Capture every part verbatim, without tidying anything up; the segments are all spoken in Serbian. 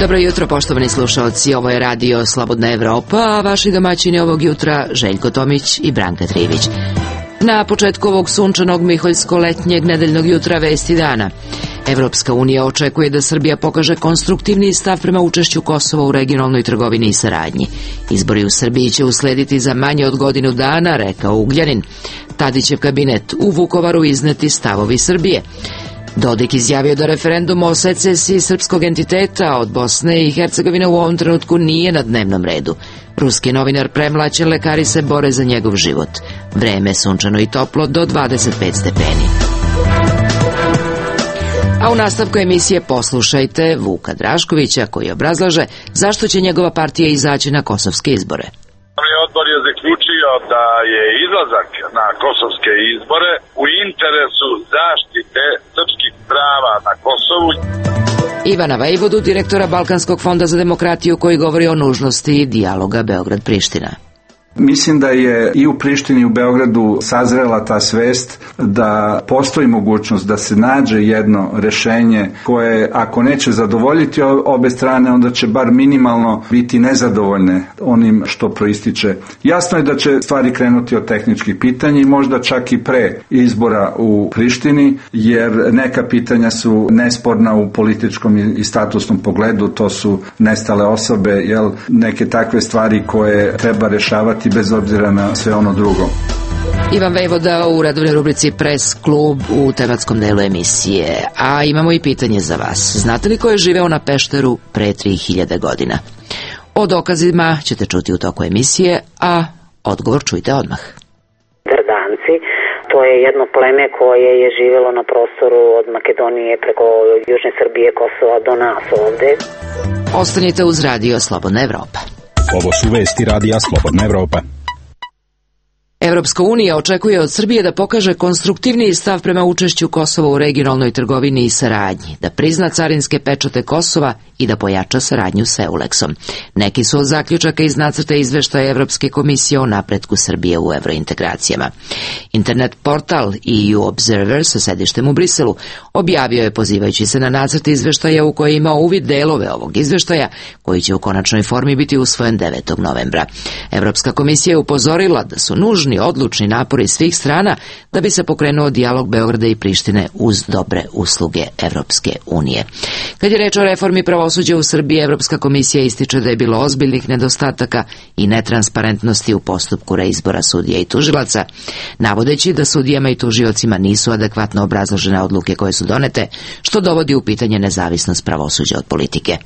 Dobro jutro, poštovani slušalci, ovo je radio Slobodna Evropa, a vaši domaćini ovog jutra Željko Tomić i Branka Trivić. Na početku ovog sunčanog miholjsko-letnjeg nedeljnog jutra vesti dana. Evropska unija očekuje da Srbija pokaže konstruktivniji stav prema učešću Kosova u regionalnoj trgovini i saradnji. Izbori u Srbiji će uslediti za manje od godinu dana, rekao Ugljanin. Tadićev kabinet u Vukovaru izneti stavovi Srbije. Dodik izjavio da referendum o secesiji srpskog entiteta od Bosne i Hercegovine u ovom trenutku nije na dnevnom redu. Ruski novinar premlaćen, lekari se bore za njegov život. Vreme sunčano i toplo do dvadeset pet stepeni. A u nastavku emisije poslušajte Vuka Draškovića koji obrazlaže zašto će njegova partija izaći na kosovske izbore. Odbor je zaključio da je izlazak na kosovske izbore u interesu zaštite srpskih prava na Kosovu. Ivana Vejvodu, direktora Balkanskog fonda za demokratiju, koji govori o nužnosti dijaloga Beograd-Priština. Mislim da je i u Prištini i u Beogradu sazrela ta svest da postoji mogućnost da se nađe jedno rešenje koje, ako neće zadovoljiti obe strane, onda će bar minimalno biti nezadovoljne onim što proističe. Jasno je da će stvari krenuti od tehničkih pitanja i možda čak i pre izbora u Prištini, jer neka pitanja su nesporna u političkom i statusnom pogledu, to su nestale osobe, jel, neke takve stvari koje treba rešavati bez obzira na sve ono drugo. Ivan Vejvoda u redovnoj rubrici Press klub u tematskom delu emisije. A imamo i pitanje za vas. Znate li ko je živeo na Pešteru pre tri hiljade godina? O dokazima ćete čuti u toku emisije, a odgovor čujte odmah. Drdanci, to je jedno pleme koje je živelo na prostoru od Makedonije preko Južne Srbije, Kosova do nas ovde. Ostanite uz radio Slobodna Evropa. Ovo su vesti radija Slobodna Evropa. Evropska unija očekuje od Srbije da pokaže konstruktivniji stav prema učešću Kosova u regionalnoj trgovini i saradnji, da prizna carinske pečate Kosova i da pojača saradnju s Euleksom. Neki su od zaključaka iz nacrta izveštaja Evropske komisije o napretku Srbije u evrointegracijama. Internet portal E U Observer sa sedištem u Briselu objavio je, pozivajući se na nacrt izveštaja u koji ima uvid delove ovog izveštaja, koji će u konačnoj formi biti usvojen devetog novembra. Evropska komisija je upozorila da su nužni odlučni napori svih strana da bi se pokrenuo dijalog Beograda i Prištine uz dobre usluge Evropske unije. Kad je reč o reformi pravosuđa u Srbiji, Evropska komisija ističe da je bilo ozbiljnih nedostataka i netransparentnosti u postupku reizbora sudija i tužilaca, navodeći da sudijama i tužiocima nisu adekvatno obrazložene odluke koje su donete, što dovodi u pitanje nezavisnost pravosuđa od politike.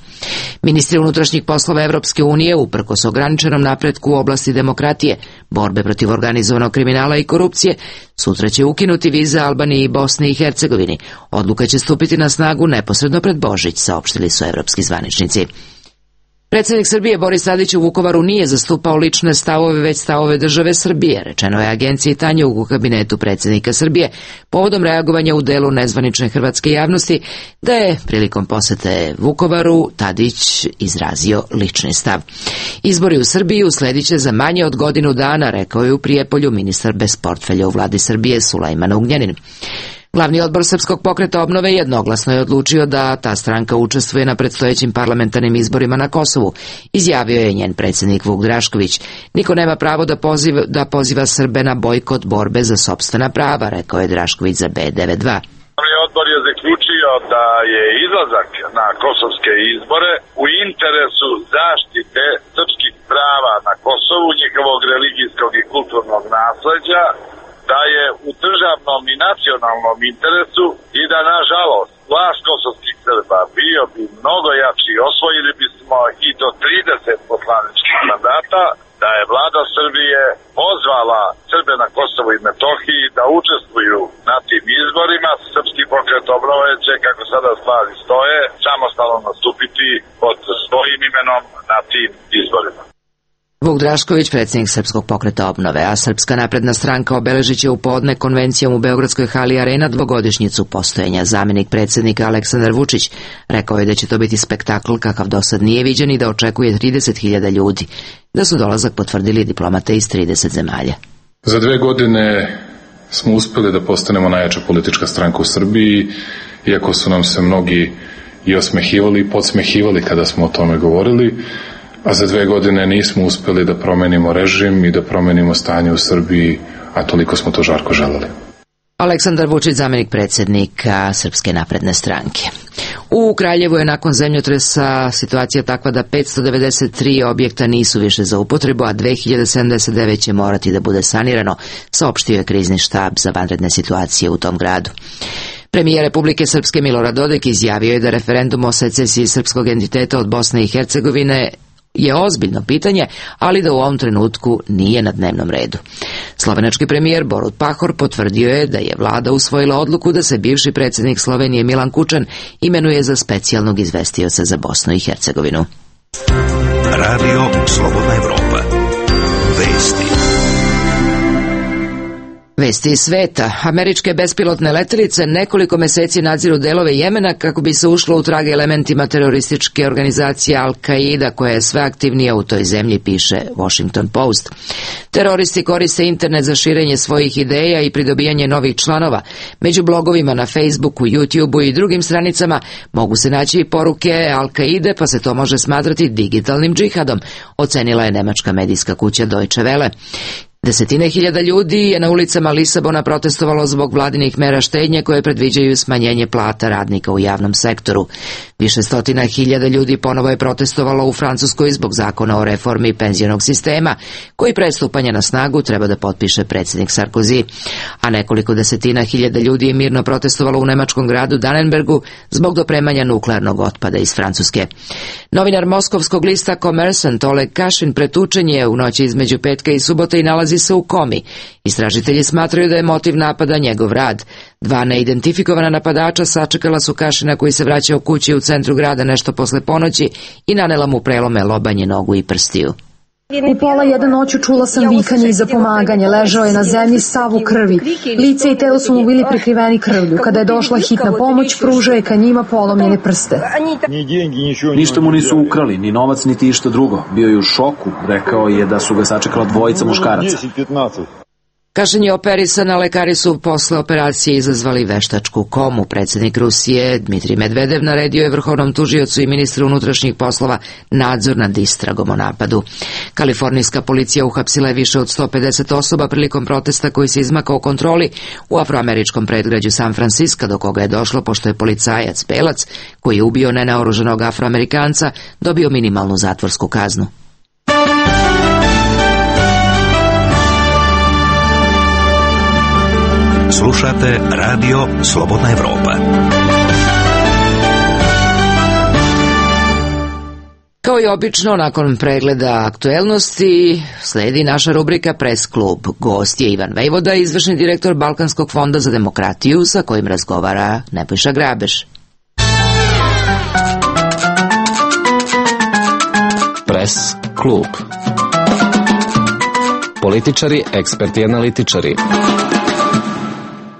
Ministri unutrašnjih poslova Evropske unije, uprkos ograničenom napretku u oblasti demokratije, borbe protiv organizovanog kriminala i korupcije, sutra će ukinuti vize Albaniji i Bosni i Hercegovini. Odluka će stupiti na snagu neposredno pred Božić, saopštili su evropski zvaničnici. Predsjednik Srbije Boris Tadić u Vukovaru nije zastupao lične stavove, već stavove države Srbije, rečeno je agenciji Tanjug u kabinetu predsjednika Srbije, povodom reagovanja u delu nezvanične hrvatske javnosti, da je prilikom posete Vukovaru Tadić izrazio lični stav. Izbori u Srbiji usledit će za manje od godinu dana, rekao je u Prijepolju ministar bez portfelja u vladi Srbije Sulejman Ugljanin. Glavni odbor Srpskog pokreta obnove jednoglasno je odlučio da ta stranka učestvuje na predstojećim parlamentarnim izborima na Kosovu, izjavio je njen predsjednik Vuk Drašković. Niko nema pravo da poziva, da poziva Srbe na bojkot borbe za sopstvena prava, rekao je Drašković za B devedeset dva. Odbor je zaključio da je izlazak na kosovske izbore u interesu zaštite srpskih prava na Kosovu, njihovog religijskog i kulturnog nasleđa, da je u državnom i nacionalnom interesu i da, nažalost, glas kosovskih Srba bio bi mnogo jači, osvojili bismo i do trideset poslaničkih mandata, da je vlada Srbije pozvala Srbe na Kosovu i Metohiji da učestvuju na tim izborima. Srpski pokret obnove će, kako sada stvari stoje, samostalno nastupiti pod svojim imenom na tim izborima. Vuk Drašković, predsjednik Srpskog pokreta obnove, a Srpska napredna stranka obeležit će u podne konvencijom u Beogradskoj hali Arena dvogodišnjicu postojanja. Zamjenik predsjednika Aleksandar Vučić rekao je da će to biti spektakl kakav do sad nije viđen i da očekuje trideset hiljada ljudi, da su dolazak potvrdili diplomate iz trideset zemalja. Za dve godine smo uspjeli da postanemo najjača politička stranka u Srbiji, iako su nam se mnogi i osmehivali i podsmehivali kada smo o tome govorili, a za dve godine nismo uspeli da promenimo režim i da promenimo stanje u Srbiji, a toliko smo to žarko želeli. Aleksandar Vučić, zamenik predsjednika Srpske napredne stranke. U Kraljevu je nakon zemljotresa situacija takva da petsto devedeset tri objekta nisu više za upotrebu, a dve hiljade sedamdeset devet će morati da bude sanirano, saopštio je krizni štab za vanredne situacije u tom gradu. Premijer Republike Srpske Milorad Dodik izjavio je da referendum o secesiji srpskog entiteta od Bosne i Hercegovine je ozbiljno pitanje, ali da u ovom trenutku nije na dnevnom redu. Slovenački premijer Borut Pahor potvrdio je da je vlada usvojila odluku da se bivši predsjednik Slovenije Milan Kučan imenuje za specijalnog izvestioca za Bosnu i Hercegovinu. Radio Slobodna Evropa. Vesti. Vesti iz sveta. Američke bespilotne letelice nekoliko meseci nadziru delove Jemena kako bi se ušlo u trage elementima terorističke organizacije Al-Qaida koja je sve aktivnija u toj zemlji, piše Washington Post. Teroristi koriste internet za širenje svojih ideja i pridobijanje novih članova. Među blogovima na Facebooku, YouTubeu i drugim stranicama mogu se naći i poruke Al-Qaide, pa se to može smatrati digitalnim džihadom, ocenila je nemačka medijska kuća Deutsche Welle. Desetine hiljada ljudi je na ulicama Lisabona protestovalo zbog vladinih mera štednje koje predviđaju smanjenje plata radnika u javnom sektoru. Više stotina hiljada ljudi ponovo je protestovalo u Francuskoj zbog zakona o reformi penzionog sistema, koji pre stupanja na snagu treba da potpiše predsjednik Sarkozy. A nekoliko desetina hiljada ljudi je mirno protestovalo u nemačkom gradu Dannenbergu zbog dopremanja nuklearnog otpada iz Francuske. Novinar moskovskog lista Kommersant Oleg Kašin pretučen je u noći između petka i subote i nalazi se u komi. Istražitelji smatraju da je motiv napada njegov rad. Dva neidentifikovana napadača sačekala su Kašina koji se vraćao kući u centru grada nešto posle ponoći i nanela mu prelome lobanje, nogu i prstiju. U pola jedan noću čula sam vikanje i zapomaganje. Ležao je na zemlji sav u krvi. Lice i telo su mu bili prekriveni krvlju. Kada je došla hitna pomoć, pružao je ka njima polomljene prste. Ništa mu nisu ukrali, ni novac, niti išta drugo. Bio je u šoku. Rekao je da su ga sačekala dvojica muškaraca. Kašin je operisan, a lekari su posle operacije izazvali veštačku komu. Predsjednik Rusije Dmitrij Medvedev naredio je vrhovnom tužiocu i ministru unutrašnjih poslova nadzor nad istragom o napadu. Kalifornijska policija uhapsila je više od sto pedeset osoba prilikom protesta koji se izmakao kontroli u afroameričkom predgrađu San Francisco, do koga je došlo pošto je policajac belac koji je ubio nenaoruženog Afroamerikanca dobio minimalnu zatvorsku kaznu. Slušate Radio Slobodna Evropa. Kao i obično, nakon pregleda aktuelnosti, sledi naša rubrika Press klub. Gost je Ivan Vejvoda, izvršni direktor Balkanskog fonda za demokratiju, sa kojim razgovara Nebojša Grabež. Press klub. Političari, eksperti, analitičari.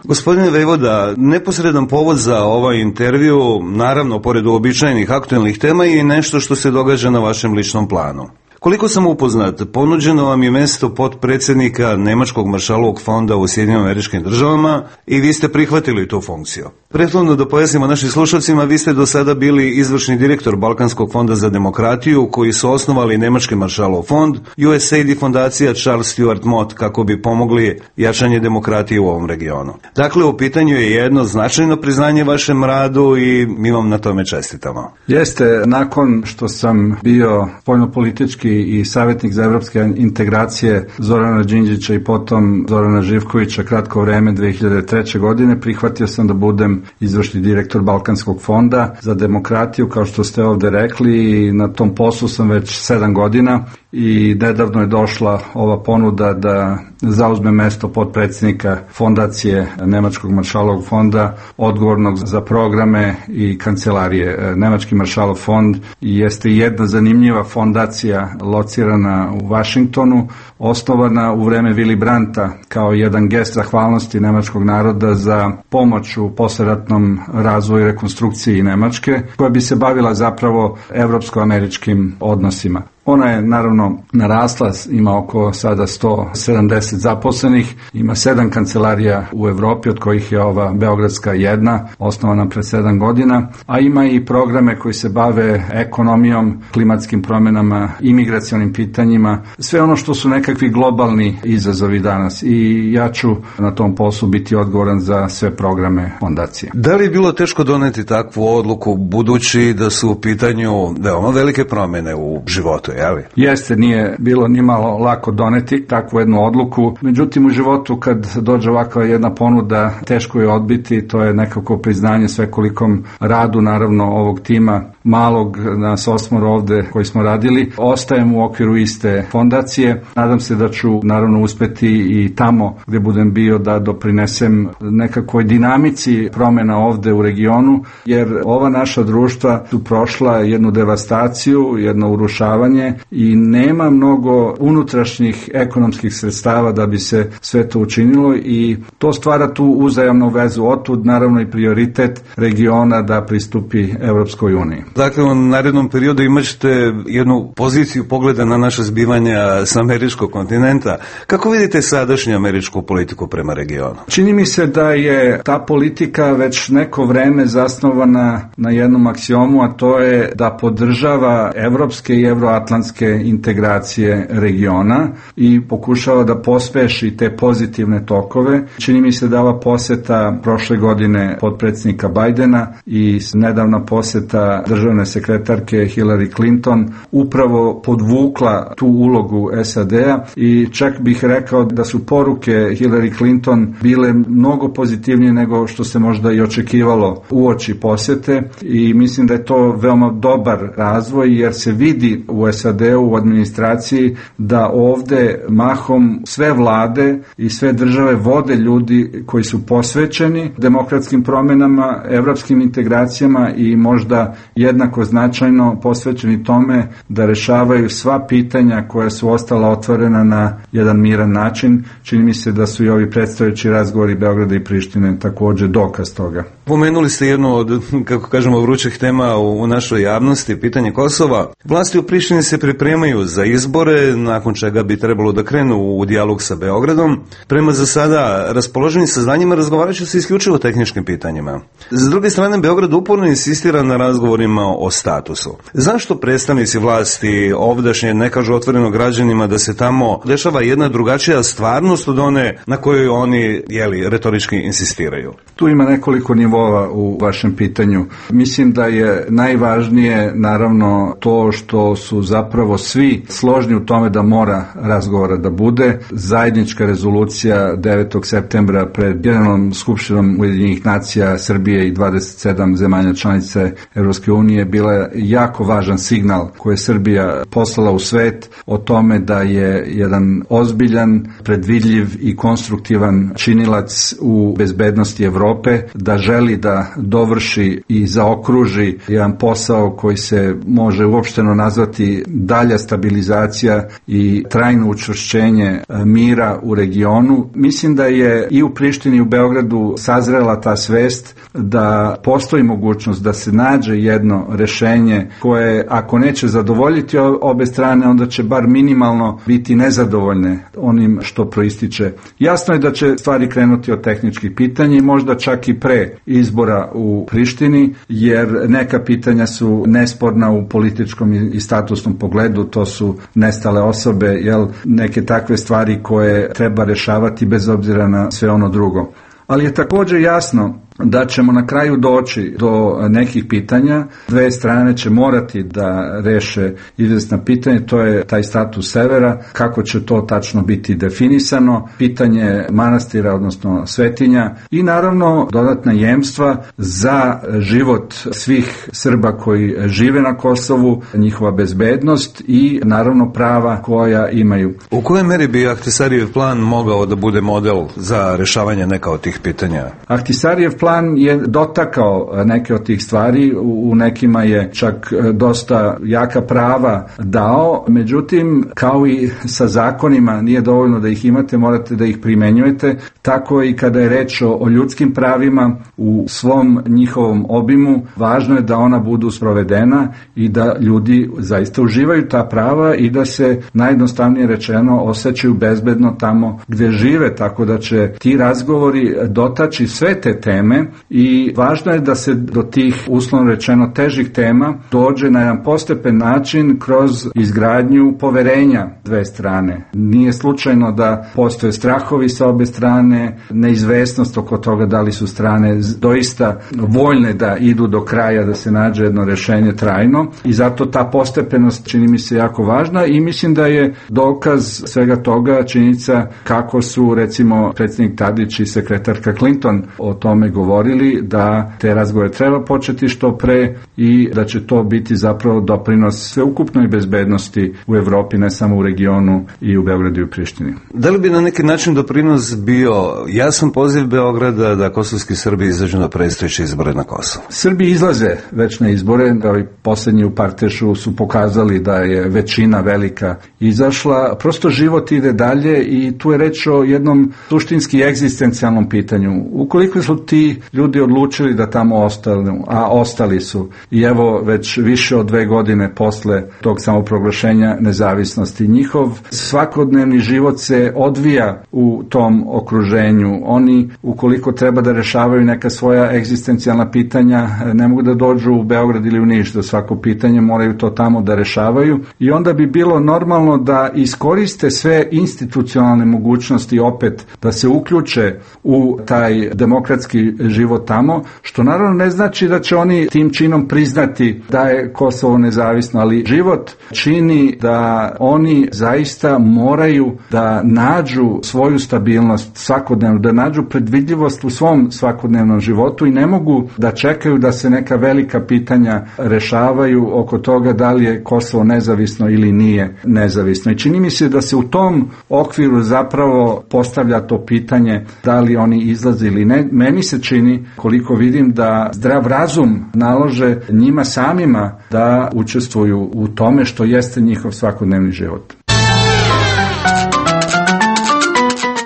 Gospodine Vejvoda, neposredan povod za ovaj intervju, naravno, pored uobičajenih aktuelnih tema, je nešto što se događa na vašem ličnom planu. Koliko sam upoznat, ponuđeno vam je mesto potpredsjednika Nemačkog maršalovog fonda u Sjedinjenim Američkim Državama i vi ste prihvatili tu funkciju. Prethodno da pojasnimo našim slušalcima, vi ste do sada bili izvršni direktor Balkanskog fonda za demokratiju, koji su osnovali Nemački maršalov fond, U S A I D i fondacija Charles Stewart Mott, kako bi pomogli jačanje demokratije u ovom regionu. Dakle, u pitanju je jedno značajno priznanje vašem radu i mi vam na tome čestitamo. Jeste, nakon što sam bio spoljnopolitički i savjetnik za evropske integracije Zorana Đinđića i potom Zorana Živkovića kratko vreme dve hiljade treće. godine, prihvatio sam da budem izvršni direktor Balkanskog fonda za demokratiju, kao što ste ovde rekli, i na tom poslu sam već sedam godina i nedavno je došla ova ponuda da zauzme mesto potpredsjednika fondacije Nemačkog maršalovog fonda, odgovornog za programe i kancelarije. Nemački maršalov fond jeste jedna zanimljiva fondacija locirana u Vašingtonu, osnovana u vreme Willy Brandta kao jedan gest zahvalnosti nemačkog naroda za pomoć u posleratnom razvoju i rekonstrukciji Nemačke, koja bi se bavila zapravo evropsko-američkim odnosima. Ona je naravno narasla, ima oko sada sto sedamdeset zaposlenih, ima sedam kancelarija u Evropi, od kojih je ova beogradska jedna, osnovana pre sedam godina, a ima i programe koji se bave ekonomijom, klimatskim promjenama, imigracionim pitanjima, sve ono što su nekakvi globalni izazovi danas, i ja ću na tom poslu biti odgovoran za sve programe fondacije. Da li je bilo teško doneti takvu odluku, budući da su u pitanju veoma velike promjene u životu, je li? Jeste, nije bilo ni malo lako doneti takvu jednu odluku, međutim u životu kad dođe ovakva jedna ponuda, teško je odbiti, to je nekako priznanje svekolikom radu, naravno ovog tima malog, nas osmoro ovde koji smo radili, ostajem u okviru iste fondacije. Nadam se da ću naravno uspeti i tamo gde budem bio da doprinesem nekakvoj dinamici promjena ovde u regionu, jer ova naša društva su prošla jednu devastaciju, jedno urušavanje i nema mnogo unutrašnjih ekonomskih sredstava da bi se sve to učinilo, i to stvara tu uzajamnu vezu. Otud naravno i prioritet regiona da pristupi Evropskoj uniji. Dakle, u narednom periodu imat ćete jednu poziciju pogleda na naše zbivanja sa američkog kontinenta. Kako vidite sadašnju američku politiku prema regionu? Čini mi se da je ta politika već neko vreme zasnovana na jednom aksiomu, a to je da podržava evropske i evroatlantske integracije regiona i pokušava da pospeši te pozitivne tokove. Čini mi se da ova poseta prošle godine potpredsjednika Bajdena i nedavna poseta državne sekretarke Hillary Clinton upravo podvukla tu ulogu S A D-a, i čak bih rekao da su poruke Hillary Clinton bile mnogo pozitivnije nego što se možda i očekivalo uoči posete, i mislim da je to veoma dobar razvoj, jer se vidi u S A D-u, u administraciji, da ovde mahom sve vlade i sve države vode ljudi koji su posvećeni demokratskim promjenama, evropskim integracijama i možda jednako značajno posvećeni tome da rešavaju sva pitanja koja su ostala otvorena na jedan miran način. Čini mi se da su i ovi predstojeći razgovori Beograda i Prištine takođe dokaz toga. Pomenuli ste jednu od, kako kažemo, vrućih tema u, u našoj javnosti, pitanje Kosova. Vlasti u Prištini se pripremaju za izbore, nakon čega bi trebalo da krenu u dijalog sa Beogradom. Prema za sada raspoloženim saznanjima razgovarat će se isključivo o tehničkim pitanjima. S druge strane, Beograd uporno insistira na razgovorima o statusu. Zašto predstavnici vlasti ovdašnje ne kažu otvoreno građanima da se tamo dešava jedna drugačija stvarnost od one na kojoj oni, jeli, retorički insistiraju? Tu ima nekoliko nivova u vašem pitanju. Mislim da je najvažnije naravno to što su zapravo svi složni u tome da mora razgovora da bude. Zajednička rezolucija devetog septembra pred Generalnom skupštinom Ujedinjenih nacija Srbije i dvadeset sedam zemalja članice Evropske unije bila je jako važan signal koji je Srbija poslala u svet o tome da je jedan ozbiljan, predvidljiv i konstruktivan činilac u bezbednosti Evrope, da želi da dovrši i zaokruži jedan posao koji se može uopšteno nazvati dalja stabilizacija i trajno učvršćenje mira u regionu. Mislim da je i u Prištini i u Beogradu sazrela ta svest da postoji mogućnost da se nađe jedno rešenje koje, ako neće zadovoljiti obe strane, onda će bar minimalno biti nezadovoljne onim što proističe. Jasno je da će stvari krenuti od tehničkih pitanja i možda čak i pre izbora u Prištini, jer neka pitanja su nesporna u političkom i statusnom pogledu, to su nestale osobe, jel, neke takve stvari koje treba rešavati bez obzira na sve ono drugo. Ali je također jasno da ćemo na kraju doći do nekih pitanja. Dve strane će morati da reše izvesna pitanja, to je taj status severa, kako će to tačno biti definisano, pitanje manastira, odnosno svetinja, i naravno dodatna jemstva za život svih Srba koji žive na Kosovu, njihova bezbednost i naravno prava koja imaju. U kojoj meri bi Ahtisarijev plan mogao da bude model za rešavanje neka od tih pitanja? Ahtisarijev plan plan je dotakao neke od tih stvari, u nekima je čak dosta jaka prava dao, međutim, kao i sa zakonima, nije dovoljno da ih imate, morate da ih primenjujete, tako i kada je reč o ljudskim pravima u svom njihovom obimu, važno je da ona budu sprovedena i da ljudi zaista uživaju ta prava i da se najjednostavnije rečeno osjećaju bezbedno tamo gde žive, tako da će ti razgovori dotaći sve te teme i važno je da se do tih uslovno rečeno težih tema dođe na jedan postepen način kroz izgradnju poverenja dve strane. Nije slučajno da postoje strahovi sa obe strane, neizvesnost oko toga da li su strane doista voljne da idu do kraja, da se nađe jedno rešenje trajno i zato ta postepenost čini mi se jako važna i mislim da je dokaz svega toga činjenica kako su recimo predsjednik Tadić i sekretarka Clinton o tome govorili da te razgovore treba početi što pre i da će to biti zapravo doprinos sveukupnoj bezbednosti u Evropi, ne samo u regionu i u Beogradu i u Prištini. Da li bi na neki način doprinos bio jasan poziv Beograda da kosovski Srbi izađu na predstojeće izbore na Kosovu? Srbi izlaze već na izbore, ovi poslednji u Partešu su pokazali da je većina velika izašla, prosto život ide dalje i tu je reč o jednom suštinski egzistencijalnom pitanju. Ukoliko su ti ljudi odlučili da tamo ostanu, a ostali su i evo već više od dve godine posle tog samoproglašenja nezavisnosti, njihov svakodnevni život se odvija u tom okruženju. Oni, ukoliko treba da rešavaju neka svoja egzistencijalna pitanja, ne mogu da dođu u Beograd ili u Niš do svako pitanje, moraju to tamo da rešavaju i onda bi bilo normalno da iskoriste sve institucionalne mogućnosti opet da se uključe u taj demokratski život tamo, što naravno ne znači da će oni tim činom priznati da je Kosovo nezavisno, ali život čini da oni zaista moraju da nađu svoju stabilnost svakodnevno, da nađu predvidljivost u svom svakodnevnom životu i ne mogu da čekaju da se neka velika pitanja rešavaju oko toga da li je Kosovo nezavisno ili nije nezavisno. I čini mi se da se u tom okviru zapravo postavlja to pitanje da li oni izlaze ili ne. Meni se čini, koliko vidim, da zdrav razum nalože njima samima da učestvuju u tome što jeste njihov svakodnevni život.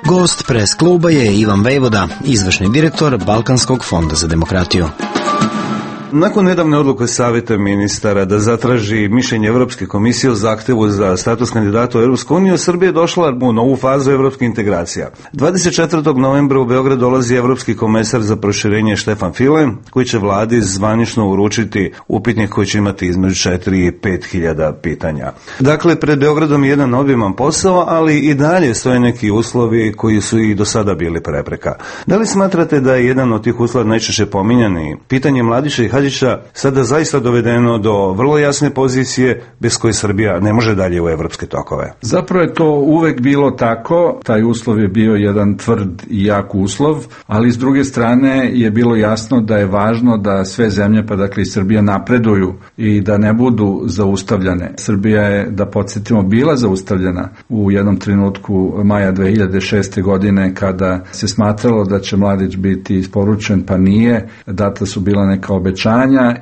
Gost Pres kluba je Ivan Vejvoda, izvršni direktor Balkanskog fonda za demokratiju. Nakon nedavne odluke Saveta ministara da zatraži mišljenje Evropske komisije o zahtevu za status kandidata u Evropsku uniju, Srbija je došla u novu fazu evropskih integracija. dvadeset četvrtog novembra u Beograd dolazi evropski komesar za proširenje Štefan File, koji će vladi zvanično uručiti upitnik koji će imati između četiri i pet hiljada pitanja. Dakle, pred Beogradom je jedan obiman posao, ali i dalje stoje neki uslovi koji su i do sada bili prepreka. Da li smatrate da je jedan od tih uslova najčešće pominjani pitanje Mladića i Hadžića sada zaista dovedeno do vrlo jasne pozicije bez koje Srbija ne može dalje u evropske tokove? Zapravo je to uvek bilo tako, taj uslov je bio jedan tvrd i jak uslov, ali s druge strane je bilo jasno da je važno da sve zemlje, pa dakle i Srbija, napreduju i da ne budu zaustavljane. Srbija je, da podsjetimo, bila zaustavljena u jednom trenutku maja dve hiljade šeste. godine kada se smatralo da će Mladić biti isporučen, pa nije, data su bila neka obećanja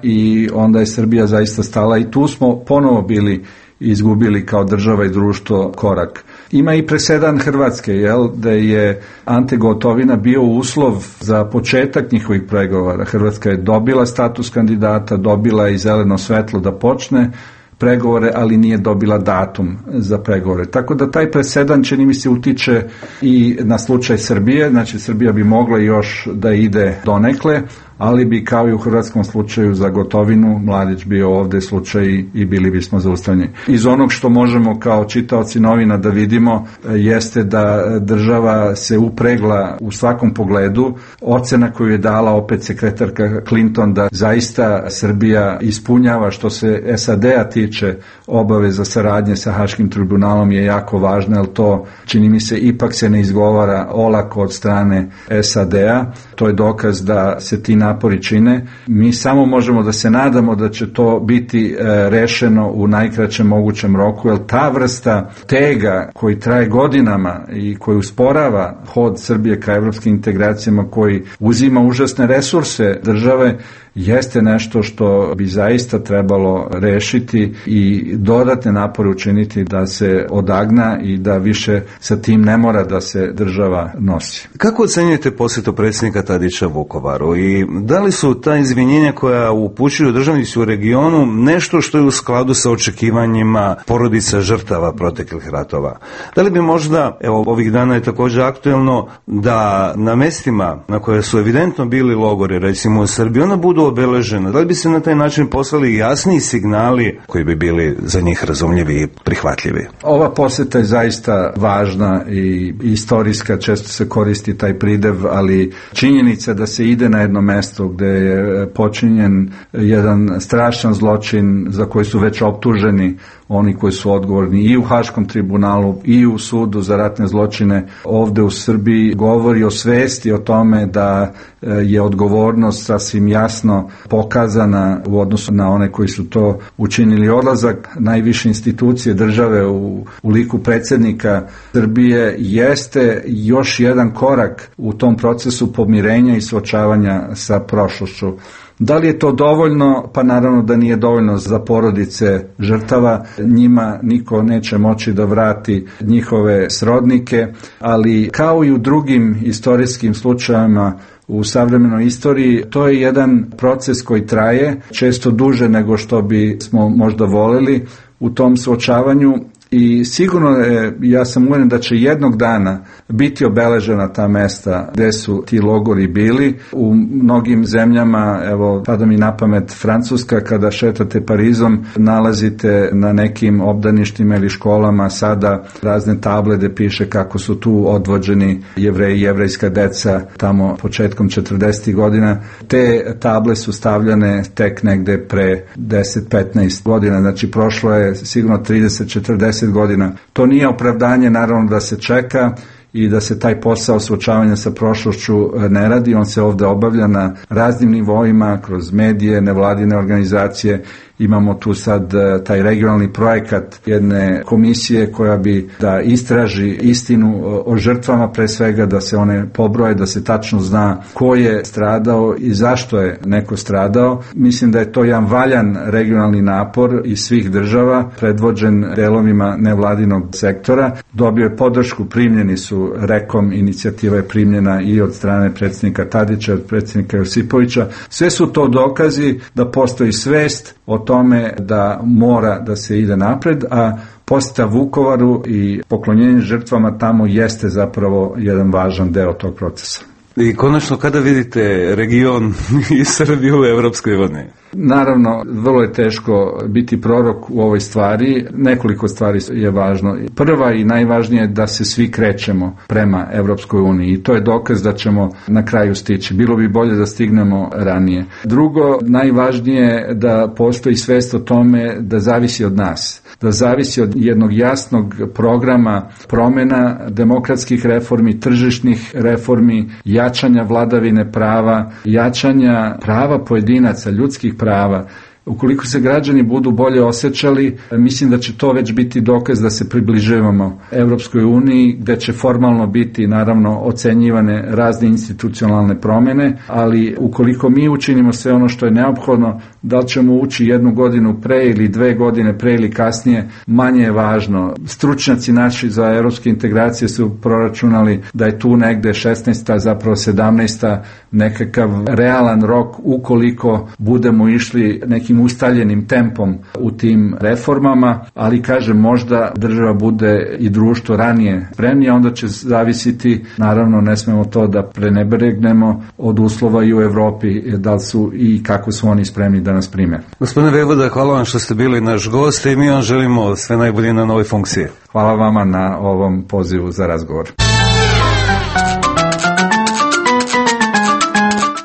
i onda je Srbija zaista stala i tu smo ponovo bili izgubili kao država i društvo korak. Ima i presedan Hrvatske, jel, da je Ante Gotovina bio uslov za početak njihovih pregovora. Hrvatska je dobila status kandidata, dobila i zeleno svetlo da počne pregovore, ali nije dobila datum za pregovore. Tako da taj presedan, čini mi se, utiče i na slučaj Srbije, znači Srbija bi mogla još da ide donekle, ali bi kao i u hrvatskom slučaju za Gotovinu Mladić bio ovde slučaj i bili bismo zaustavljeni. Iz onog što možemo kao čitaoci novina da vidimo jeste da država se upregla u svakom pogledu. Ocena koju je dala opet sekretarka Clinton da zaista Srbija ispunjava što se S A D-a tiče obaveza saradnje sa Haškim tribunalom je jako važna, jer to čini mi se ipak se ne izgovara olako od strane S A D-a. To je dokaz da se ti napori čine. Mi samo možemo da se nadamo da će to biti rešeno u najkraćem mogućem roku, jer ta vrsta tega koji traje godinama i koji usporava hod Srbije ka evropskim integracijama, koji uzima užasne resurse države, jeste nešto što bi zaista trebalo rešiti i dodatne napore učiniti da se odagna i da više sa tim ne mora da se država nosi. Kako ocenjujete posjetu predsjednika Tadića Vukovaru i da li su ta izvinjenja koja upućuju državnici u regionu nešto što je u skladu sa očekivanjima porodica žrtava proteklih ratova? Da li bi možda, evo ovih dana je također aktuelno, da na mestima na koje su evidentno bili logori, recimo u Srbiji, ona budu obeležena? Da li bi se na taj način poslali jasniji signali koji bi bili za njih razumljivi i prihvatljivi? Ova posjeta je zaista važna i istorijska, često se koristi taj pridev, ali činjenica da se ide na jedno mesto gde je počinjen jedan strašan zločin za koji su već optuženi oni koji su odgovorni i u Haškom tribunalu i u sudu za ratne zločine ovde u Srbiji, govori o svesti o tome da je odgovornost sasvim jasno pokazana u odnosu na one koji su to učinili. Odlazak najviše institucije države u, u liku predsjednika Srbije jeste još jedan korak u tom procesu pomirenja i suočavanja sa prošlošću. Da li je to dovoljno? Pa naravno da nije dovoljno za porodice žrtava. Njima niko neće moći da vrati njihove srodnike, ali kao i u drugim istorijskim slučajevima u savremenoj istoriji, to je jedan proces koji traje, često duže nego što bi smo možda voleli u tom suočavanju. I sigurno je, ja sam uvjeren da će jednog dana biti obeležena ta mesta gde su ti logori bili. U mnogim zemljama, evo pada mi na pamet Francuska, kada šetate Parizom, nalazite na nekim obdaništima ili školama sada razne table gde piše kako su tu odvođeni Jevreji i jevrejska deca tamo početkom četrdesetih godina. Te table su stavljane tek negde pre deset do petnaest godina, znači prošlo je sigurno trideset do četrdeset godina. To nije opravdanje, naravno, da se čeka i da se taj posao suočavanja sa prošlošću ne radi. On se ovde obavlja na raznim nivoima, kroz medije, nevladine organizacije. Imamo tu sad taj regionalni projekat jedne komisije koja bi da istraži istinu o žrtvama, pre svega da se one pobroje, da se tačno zna ko je stradao i zašto je neko stradao. Mislim da je to jedan valjan regionalni napor iz svih država, predvođen delovima nevladinog sektora. Dobio je podršku, primljeni su Rekom, inicijativa je primljena i od strane predsjednika Tadića, od predsjednika Josipovića. Sve su to dokazi da postoji svest o tome da mora da se ide napred, a posjeta Vukovaru i poklonjenje žrtvama tamo jeste zapravo jedan važan deo tog procesa. I konačno, kada vidite region i Srbiju u Evropskoj uniji? Naravno, vrlo je teško biti prorok u ovoj stvari. Nekoliko stvari je važno. Prva i najvažnije je da se svi krećemo prema Evropskoj uniji i to je dokaz da ćemo na kraju stići. Bilo bi bolje da stignemo ranije. Drugo, najvažnije je da postoji svest o tome da zavisi od nas. Da zavisi od jednog jasnog programa promjena, demokratskih reformi, tržišnih reformi, jačanja vladavine prava, jačanja prava pojedinaca, ljudskih prava. Ukoliko se građani budu bolje osjećali, mislim da će to već biti dokaz da se približavamo Evropskoj uniji, gde će formalno biti naravno ocenjivane razne institucionalne promjene, ali ukoliko mi učinimo sve ono što je neophodno, da li ćemo ući jednu godinu pre ili dve godine pre ili kasnije, manje je važno. Stručnjaci naši za evropske integracije su proračunali da je tu negde šesnaesta, zapravo sedamnaesta nekakav realan rok ukoliko budemo išli nekim ustaljenim tempom u tim reformama, ali kažem, možda država bude i društvo ranije spremnije, onda će zavisiti, naravno ne smemo to da prenebregnemo, od uslova i u Evropi, da li su i kako su oni spremni da nas prime. Gospodine Vejvoda, hvala vam što ste bili naš gost i mi vam želimo sve najbolje na novoj funkciji. Hvala vama na ovom pozivu za razgovor.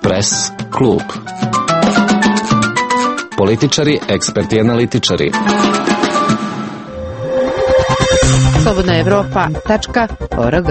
Pres klub. Političari, eksperti, analitičari. slobodna evropa tačka org.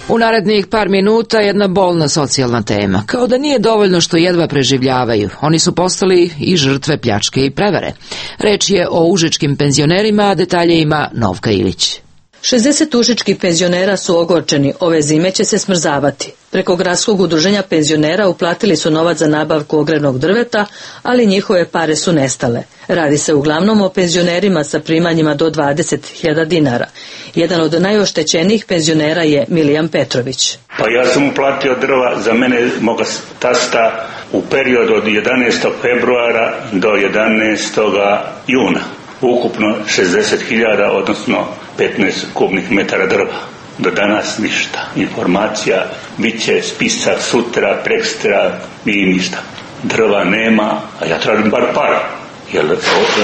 U narednih par minuta jedna bolna socijalna tema. Kao da nije dovoljno što jedva preživljavaju. Oni su postali i žrtve pljačke i prevare. Reč je o užičkim penzionerima, a detalje ima Novka Ilić. šezdeset užičkih penzionera su ogorčeni, ove zime će se smrzavati. Preko gradskog udruženja penzionera uplatili su novac za nabavku ogrevnog drveta, ali njihove pare su nestale. Radi se uglavnom o penzionerima sa primanjima do dvadeset hiljada dinara. Jedan od najoštećenijih penzionera je Milijan Petrović. Pa ja sam uplatio drva za mene, moga tasta, u periodu od jedanaestog februara do jedanaestog juna. Ukupno šezdeset hiljada, odnosno petnaest kubnih metara drva. Do danas ništa. Informacija bit će spisak sutra, prekstra i ništa. Drva nema, a ja tražim bar para, jer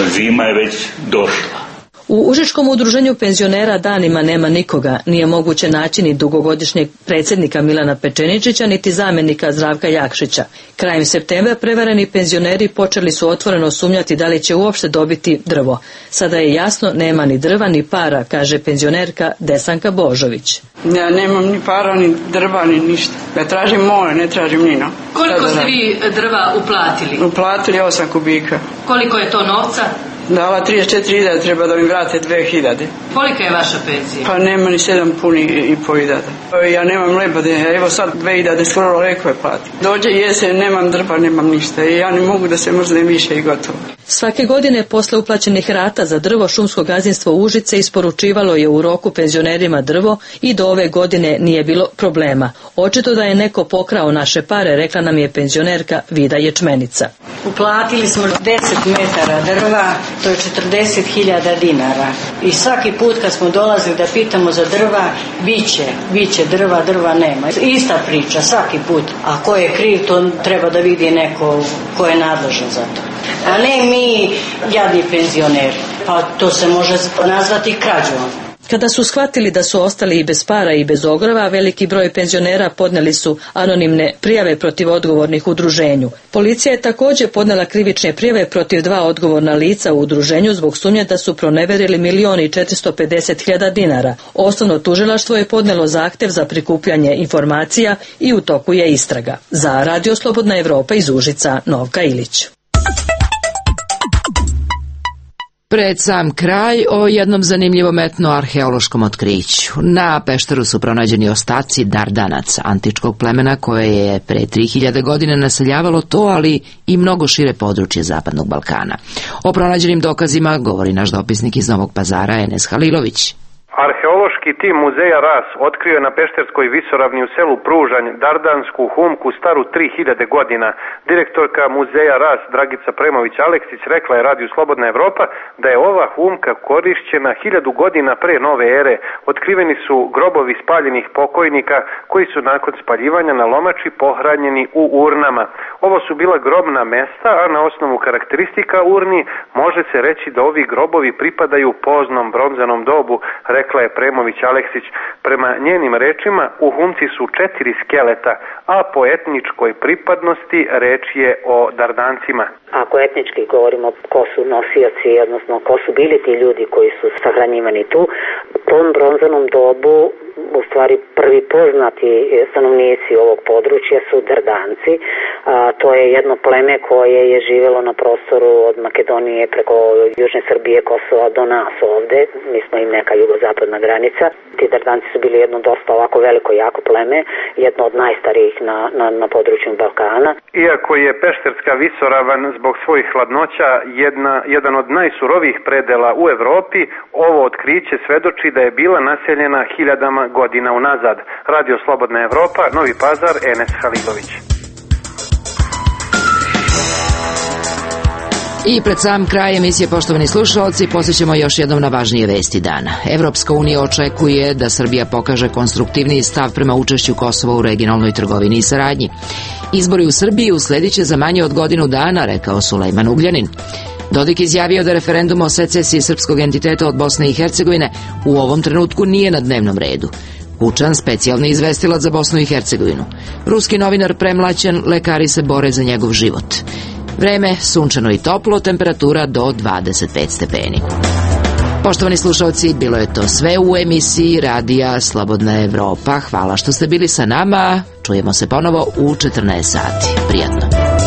zima je već došla. U Užičkom udruženju penzionera danima nema nikoga, nije moguće naći ni dugogodišnjeg predsjednika Milana Pečeničića, niti zamjenika Zdravka Jakšića. Krajem septembra prevareni penzioneri počeli su otvoreno sumnjati da li će uopšte dobiti drvo. Sada je jasno, nema ni drva ni para, kaže penzionerka Desanka Božović. Ja nemam ni para, ni drva, ni ništa. Ja tražim more, ne tražim nino. Koliko ste vi drva uplatili? Uplatili osam kubika. Koliko je to novca? Dala trideset četiri hiljade, treba da mi vrate dve hiljade. Kolika je vaša penzija? Pa nema ni sedam puni i po hiljada. Ja nemam leba, evo sad dve hiljade skoro lekove plati. Dođe jesen, nemam drva, nemam ništa i ja ne mogu da se mrznem više i gotovo. Svake godine posle uplaćenih rata za drvo šumsko gazdinstvo Užice isporučivalo je u roku penzionerima drvo i do ove godine nije bilo problema. Očito da je neko pokrao naše pare, rekla nam je penzionerka Vida Ječmenica. Uplatili smo deset metara drva, to je četrdeset hiljada dinara. I svaki put kad smo dolazili da pitamo za drva, biće, biće drva, drva nema. Ista priča, svaki put. A ko je kriv, to treba da vidi neko ko je nadležan za to. A ne mi, jadni penzioneri. Pa to se može nazvati krađom. Kada su shvatili da su ostali i bez para i bez ogrova, veliki broj penzionera podneli su anonimne prijave protiv odgovornih u udruženju. Policija je također podnela krivične prijave protiv dva odgovorna lica u udruženju zbog sumnje da su proneverili milion i četiristo pedeset hiljada dinara. Osnovno tužilaštvo je podnelo zahtev za prikupljanje informacija i u toku je istraga. Za Radio Slobodna Evropa iz Užica, Novka Ilić. Pred sam kraj o jednom zanimljivom etno-arheološkom otkriću. Na Pešteru su pronađeni ostaci Dardanaca, antičkog plemena koje je pre tri hiljade godine naseljavalo to, ali i mnogo šire područje Zapadnog Balkana. O pronađenim dokazima govori naš dopisnik iz Novog Pazara, Enes Halilović. Arheološki tim muzeja Ras otkrio je na Pešterskoj visoravni u selu Pružanj dardansku humku staru tri hiljade godina. Direktorka muzeja Ras Dragica Premović-Aleksić rekla je Radiju Slobodna Evropa da je ova humka korišćena hiljadu godina pre nove ere. Otkriveni su grobovi spaljenih pokojnika koji su nakon spaljivanja na lomači pohranjeni u urnama. Ovo su bila grobna mesta, a na osnovu karakteristika urni može se reći da ovi grobovi pripadaju poznom bronzanom dobu, rekla je Premović-Aleksić. Prema njenim rečima u humci su četiri skeleta, a po etničkoj pripadnosti reč je o Dardancima. Ako etnički govorimo ko su nosioci, odnosno ko su bili ti ljudi koji su sahranjivani tu, u tom bronzanom dobu u stvari prvi poznati stanovnici ovog područja su Dardanci. A, to je jedno pleme koje je živjelo na prostoru od Makedonije preko Južne Srbije, Kosova do nas ovde. Mi smo im neka jugozapadna granica. Ti Dardanci su bili jedno dosta ovako veliko jako pleme, jedno od najstarijih na, na, na području Balkana. Iako je Pešterska visoravan zbog svojih hladnoća jedna, jedan od najsurovijih predela u Evropi, ovo otkriće svedoči da je bila naseljena hiljadama godina unazad. Radio Slobodna Evropa, Novi Pazar, Enes Halilović. I pred sam kraj emisije, poštovani slušalci, posjećamo još jednom na važnije vesti dana. Evropska unija očekuje da Srbija pokaže konstruktivniji stav prema učešću Kosova u regionalnoj trgovini i saradnji. Izbori u Srbiji usledit će za manje od godinu dana, rekao Sulejman Ugljanin. Dodik izjavio da referendum o secesiji srpskog entiteta od Bosne i Hercegovine u ovom trenutku nije na dnevnom redu. Kučan, specijalni izvestilac za Bosnu i Hercegovinu. Ruski novinar premlaćen, lekari se bore za njegov život. Vreme sunčano i toplo, temperatura do dvadeset pet stepeni. Poštovani slušalci, bilo je to sve u emisiji Radija Slobodna Evropa. Hvala što ste bili sa nama. Čujemo se ponovo u četrnaest sati. Prijatno.